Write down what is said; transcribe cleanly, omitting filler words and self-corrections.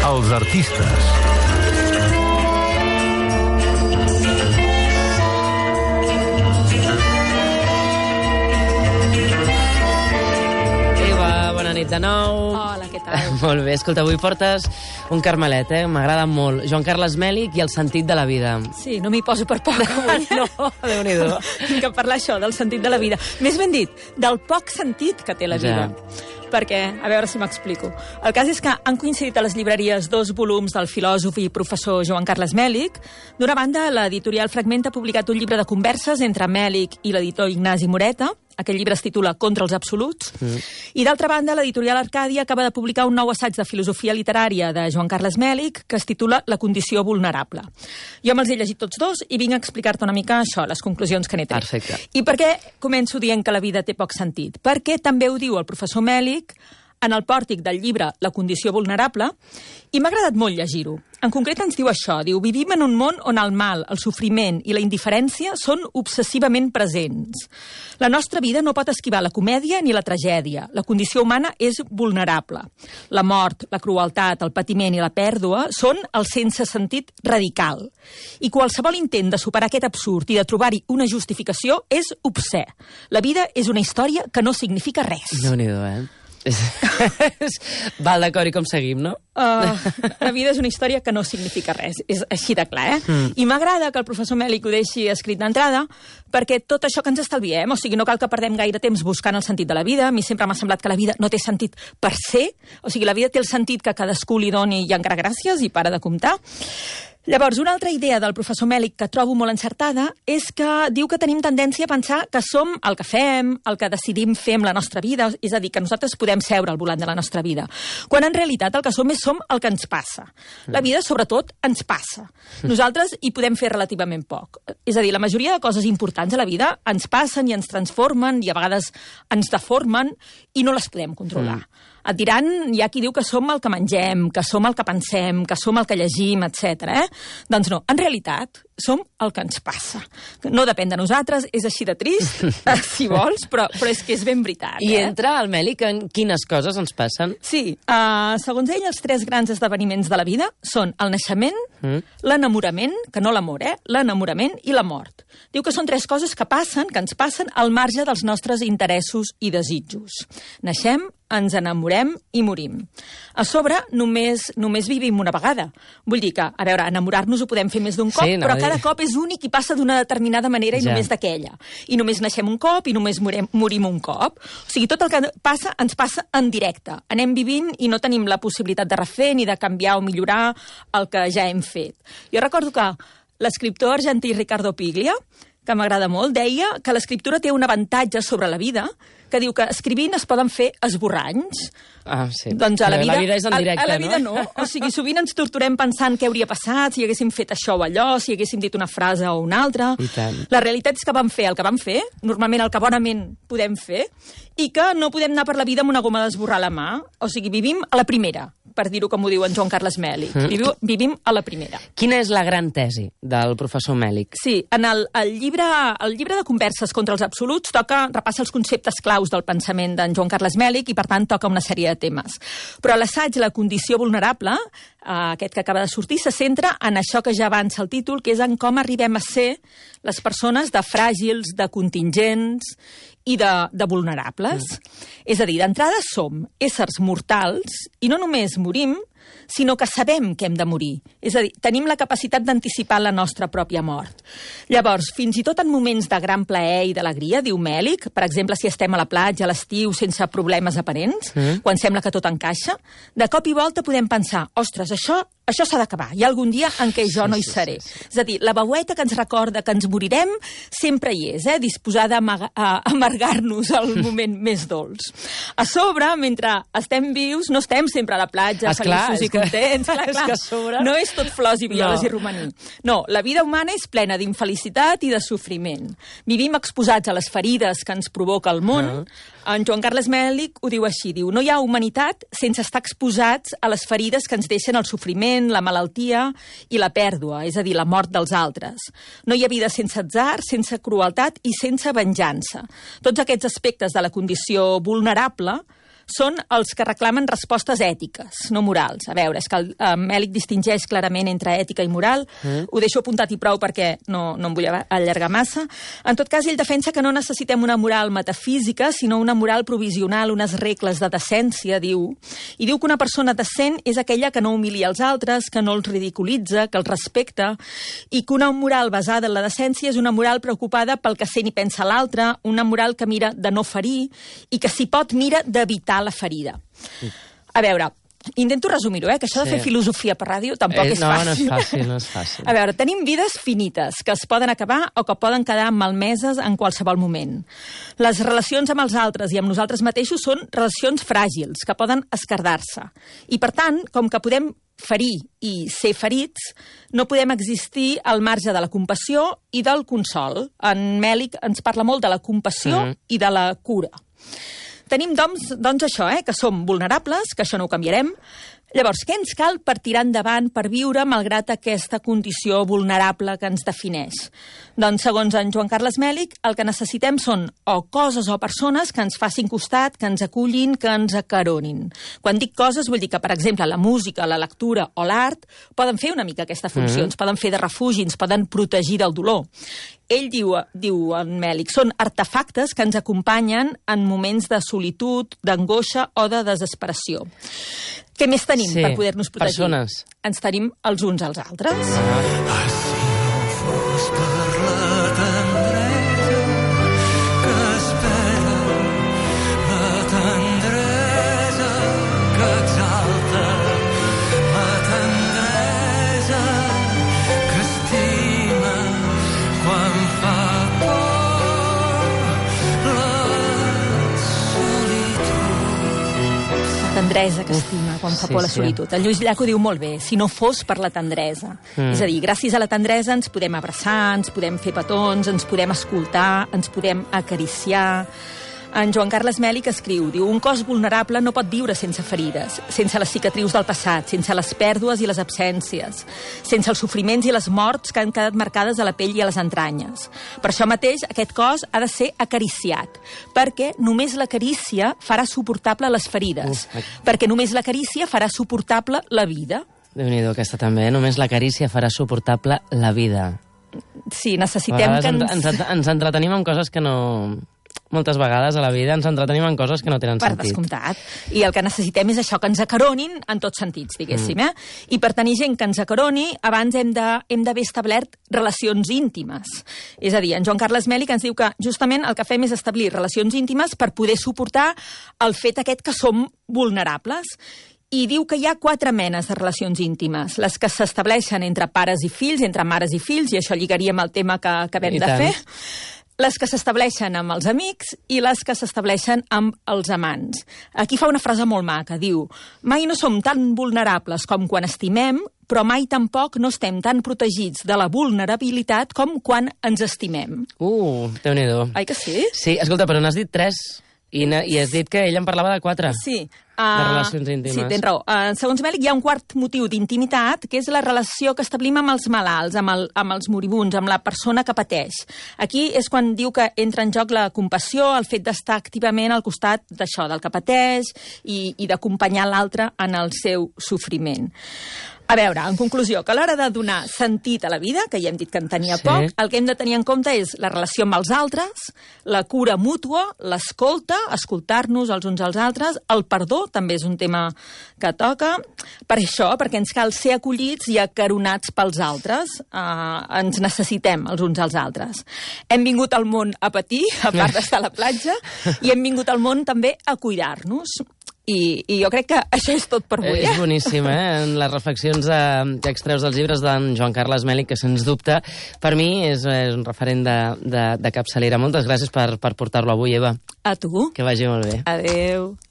Els artistes. Bona nit de nou. Hola, què tal? Molt bé, escolta, avui portes un carmelet, m'agrada molt. Joan Carles Mèlic i el sentit de la vida. Sí, no m'hi poso per poc avui. No, Déu-n'hi-do. Vinc a parlar això, del sentit de la vida. Més ben dit, del poc sentit que té la vida. Perquè, a veure si m'explico. El cas és que han coincidit a les llibreries 2 volums del filòsof i professor Joan Carles Mèlic. D'una banda, l'editorial Fragment ha publicat un llibre de converses entre Mèlic i l'editor Ignasi Moreta. Aquest llibre es titula Contra els absoluts. I d'altra banda, l'editorial Arcàdia acaba de publicar un nou assaig de filosofia literària de Joan Carles Mèlic que es titula La condició vulnerable. Jo me'ls he llegit tots dos i vinc a explicar-te una mica això, les conclusions que n'he tret. Perfecte. I per què començo dient que la vida té poc sentit? Perquè també ho diu el professor Mèlic en el pòrtic del llibre La condició vulnerable, i m'ha agradat molt llegir-ho. En concret ens diu això, diu: vivim en un món on el mal, el sofriment i la indiferència són obsessivament presents. La nostra vida no pot esquivar la comèdia ni la tragèdia. La condició humana és vulnerable. La mort, la crueltat, el patiment i la pèrdua són el sense sentit radical. I qualsevol intent de superar aquest absurd i de trobar-hi una justificació és obscè. La vida és una història que no significa res. Déu-n'hi-do, Val d'acord, i com seguim, no? La vida és una història que no significa res. És així de clar, I m'agrada que el professor Mèlic ho deixi escrit d'entrada, perquè tot això que ens estalviem, o sigui, no cal que perdem gaire temps buscant el sentit de la vida. A mi sempre m'ha semblat que la vida no té sentit per ser, o sigui, la vida té el sentit que cadascú li doni i encara gràcies i para de comptar. Llavors, una altra idea del professor Mèlic que trobo molt encertada és que diu que tenim tendència a pensar que som el que fem, el que decidim fer amb la nostra vida, és a dir, que nosaltres podem seure al volant de la nostra vida, quan en realitat el que som el que ens passa. La vida, sobretot, ens passa. Nosaltres hi podem fer relativament poc. És a dir, la majoria de coses importants a la vida ens passen i ens transformen i a vegades ens deformen i no les podem controlar. Et diran, hi ha qui diu que som el que mengem, que som el que pensem, que som el que llegim, etc. Doncs no, en realitat som el que ens passa. No depèn de nosaltres, és així de trist, si vols, però és que és ben veritat. I entra el Mèlic en quines coses ens passen? Sí, segons ell, els 3 grans esdeveniments de la vida són el naixement, l'enamorament, que no l'amor, l'enamorament i la mort. Diu que són 3 coses que ens passen al marge dels nostres interessos i desitjos. Naixem, ens enamorem i morim. A sobre, només vivim una vegada. Vull dir que, a veure, enamorar-nos ho podem fer més d'un cop, però cada cop és únic i passa d'una determinada manera i només d'aquella. I només naixem un cop i només morim un cop. O sigui, tot el que passa ens passa en directe. Anem vivint i no tenim la possibilitat de refer ni de canviar o millorar el que ja hem fet. Jo recordo que l'escriptor argentí Ricardo Piglia, que m'agrada molt, deia que l'escriptura té un avantatge sobre la vida, que diu que escrivint es poden fer esborranys. Sí. Doncs a la vida és en directe, a la vida no. O sigui, sovint ens torturem pensant què hauria passat, si haguéssim fet això o allò, si haguéssim dit una frase o una altra. La realitat és que vam fer el que vam fer, normalment el que bonament podem fer, i que no podem anar per la vida amb una goma d'esborrar a la mà. O sigui, vivim a la primera, per dir-ho com ho diu en Joan Carles Mèlic. Vivim a la primera. Quina és la gran tesi del professor Mèlic? Sí, en el llibre de converses contra els absoluts repassa els conceptes claus del pensament d'en Joan Carles Mèlic i, per tant, toca una sèrie de temes. Però l'assaig La condició vulnerable, aquest que acaba de sortir, se centra en això que ja avança el títol, que és en com arribem a ser les persones de fràgils, de contingents i de vulnerables. És a dir, d'entrada som éssers mortals i no només morim, sinó que sabem que hem de morir. És a dir, tenim la capacitat d'anticipar la nostra pròpia mort. Llavors, fins i tot en moments de gran plaer i d'alegria, diu Mèlic, per exemple, si estem a la platja a l'estiu sense problemes aparents, quan sembla que tot encaixa, de cop i volta podem pensar, ostres, això s'ha d'acabar, hi ha algun dia en què jo no hi seré. És a dir, la veueta que ens recorda que ens morirem sempre hi és, disposada a amargar-nos al moment més dolç. A sobre, mentre estem vius, no estem sempre a la platja, feliços feliços i contents. Clar, és que a sobre... No és tot flors i violes i romaní. No, la vida humana és plena d'infelicitat i de sofriment. Vivim exposats a les ferides que ens provoca el món. En Joan Carles Mèlich ho diu així, diu, no hi ha humanitat sense estar exposats a les ferides que ens deixen el sofriment, la malaltia i la pèrdua, és a dir, la mort dels altres. No hi ha vida sense atzar, sense crueltat i sense venjança. Tots aquests aspectes de la condició vulnerable són els que reclamen respostes ètiques, no morals. A veure, és que el Mèlich distingeix clarament entre ètica i moral. Ho deixo apuntat i prou perquè no em vull allargar massa. En tot cas, ell defensa que no necessitem una moral metafísica, sinó una moral provisional, unes regles de decència, diu. I diu que una persona decent és aquella que no humilia els altres, que no els ridiculitza, que els respecta, i que una moral basada en la decència és una moral preocupada pel que sent i pensa l'altre, una moral que mira de no ferir i que, si pot, mira d'evitar la ferida. A veure, intento resumir-ho, que això de fer filosofia per ràdio tampoc és fàcil. No és fàcil. A veure, tenim vides finites, que es poden acabar o que poden quedar malmeses en qualsevol moment. Les relacions amb els altres i amb nosaltres mateixos són relacions fràgils, que poden esquerdar-se. I, per tant, com que podem ferir i ser ferits, no podem existir al marge de la compassió i del consol. En Mèlich ens parla molt de la compassió i de la cura. Tenim, doncs això, que som vulnerables, que això no ho canviarem. Llavors, què ens cal per tirar endavant, per viure malgrat aquesta condició vulnerable que ens defineix? Doncs, segons en Joan Carles Mèlich, el que necessitem són o coses o persones que ens facin costat, que ens acullin, que ens acaronin. Quan dic coses, vull dir que, per exemple, la música, la lectura o l'art poden fer una mica aquesta funció, ens poden fer de refugi, ens poden protegir del dolor. Ell diu en Mèlich, són artefactes que ens acompanyen en moments de solitud, d'angoixa o de desesperació. Què més tenim per poder-nos protegir? Persones. Ens tenim els uns als altres. Si no fos per la tendresa que espera, la tendresa que exalta, la tendresa que estima quan fa tendresa que estima quan fa por la solitud. El Lluís Llach ho diu molt bé, si no fos per la tendresa. És a dir, gràcies a la tendresa ens podem abraçar, ens podem fer petons, ens podem escoltar, ens podem acariciar. En Joan Carles Mèlich escriu, diu, un cos vulnerable no pot viure sense ferides, sense les cicatrius del passat, sense les pèrdues i les absències, sense els sofriments i les morts que han quedat marcades a la pell i a les entranyes. Per això mateix, aquest cos ha de ser acariciat, perquè només la carícia farà suportable les ferides, perquè només la carícia farà suportable la vida. Déu-n'hi-do, aquesta també, només la carícia farà suportable la vida. Sí, necessitem que ens entretenim amb coses que no... Moltes vegades a la vida ens entretenim en coses que no tenen sentit. Per descomptat. I el que necessitem és això, que ens acaronin en tots sentits, diguéssim. I per tenir gent que ens acaroni, abans hem d'haver establert relacions íntimes. És a dir, en Joan Carles Mèlich ens diu que justament el que fem és establir relacions íntimes per poder suportar el fet aquest que som vulnerables. I diu que hi ha 4 menes de relacions íntimes. Les que s'estableixen entre pares i fills, entre mares i fills, i això lligaríem al tema que acabem de fer. Les que s'estableixen amb els amics i les que s'estableixen amb els amants. Aquí fa una frase molt maca, diu, mai no som tan vulnerables com quan estimem, però mai tampoc no estem tan protegits de la vulnerabilitat com quan ens estimem. Déu-n'hi-do. Ai que sí? Sí, escolta, però n'has dit 3 i has dit que ella en parlava de 4. Sí. De relacions íntimes. Sí, tens raó. Segons Mèlich, hi ha un quart motiu d'intimitat, que és la relació que establim amb els malalts, amb els moribuns, amb la persona que pateix. Aquí és quan diu que entra en joc la compassió, el fet d'estar activament al costat d'això, del que pateix, i d'acompanyar l'altre en el seu sofriment. A veure, en conclusió, que a l'hora de donar sentit a la vida, que ja hem dit que en tenia poc, el que hem de tenir en compte és la relació amb els altres, la cura mútua, l'escolta, escoltar-nos els uns als altres, el perdó, també és un tema que toca, per això, perquè ens cal ser acollits i acaronats pels altres, ens necessitem els uns als altres. Hem vingut al món a patir, a part d'estar a la platja, i hem vingut al món també a cuidar-nos. I jo crec que això és tot per avui. És boníssim, les reflexions que extreus dels llibres d'en Joan Carles Mèlich, que sens dubte, per mi és un referent de capçalera. Moltes gràcies per portar-lo avui, Eva. A tu. Que vagi molt bé. Adéu.